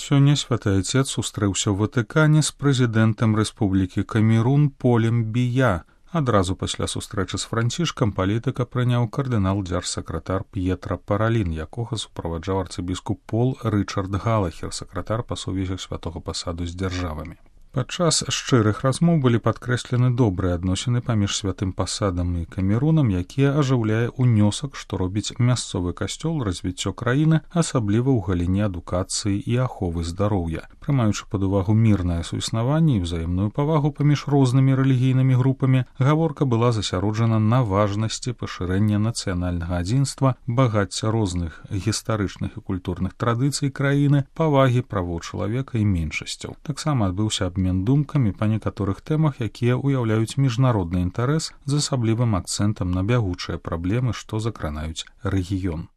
Сёння святы Айцец сустрэўся ў Ватыкане з прэзідэнтам Рэспублікі Камерун Полем Бія. Адразу пасля сустрэчы з Францішкам палітыка прыняў кардынал-дзяржсакратар П'етра Паралін, якога суправаджаў арцыбіскуп Пол Рычард Галахер, сакратар па сувязях святога пасаду з дзяржавамі. Падчас шчырых размоў былі падкрэслены добрыя адносіны паміж святым пасадам і Камерунам, якія ажыўляе ўнёсак, што робіць мясцовы касцёл развіццё краіны, асабліва ў галіне адукацыі і аховы здароўя. Прымаючы пад увагу мірнае суіснаванне і ўзаемную павагу паміж рознымі рэлігійнымі групамі, гаворка была засяроджана на важнасці пашырэння нацыянальнага адзінства, багацця розных гістарычных і культурных традыцый краіны, павагі правоў чалавека і меншасцяў. Таксама адбыўся абмен думкамі па некаторых тэмах, якія ўяўляюць міжнародны інтарэс з асаблівым акцэнтам на бягучыя праблемы, што закранаюць рэгіён.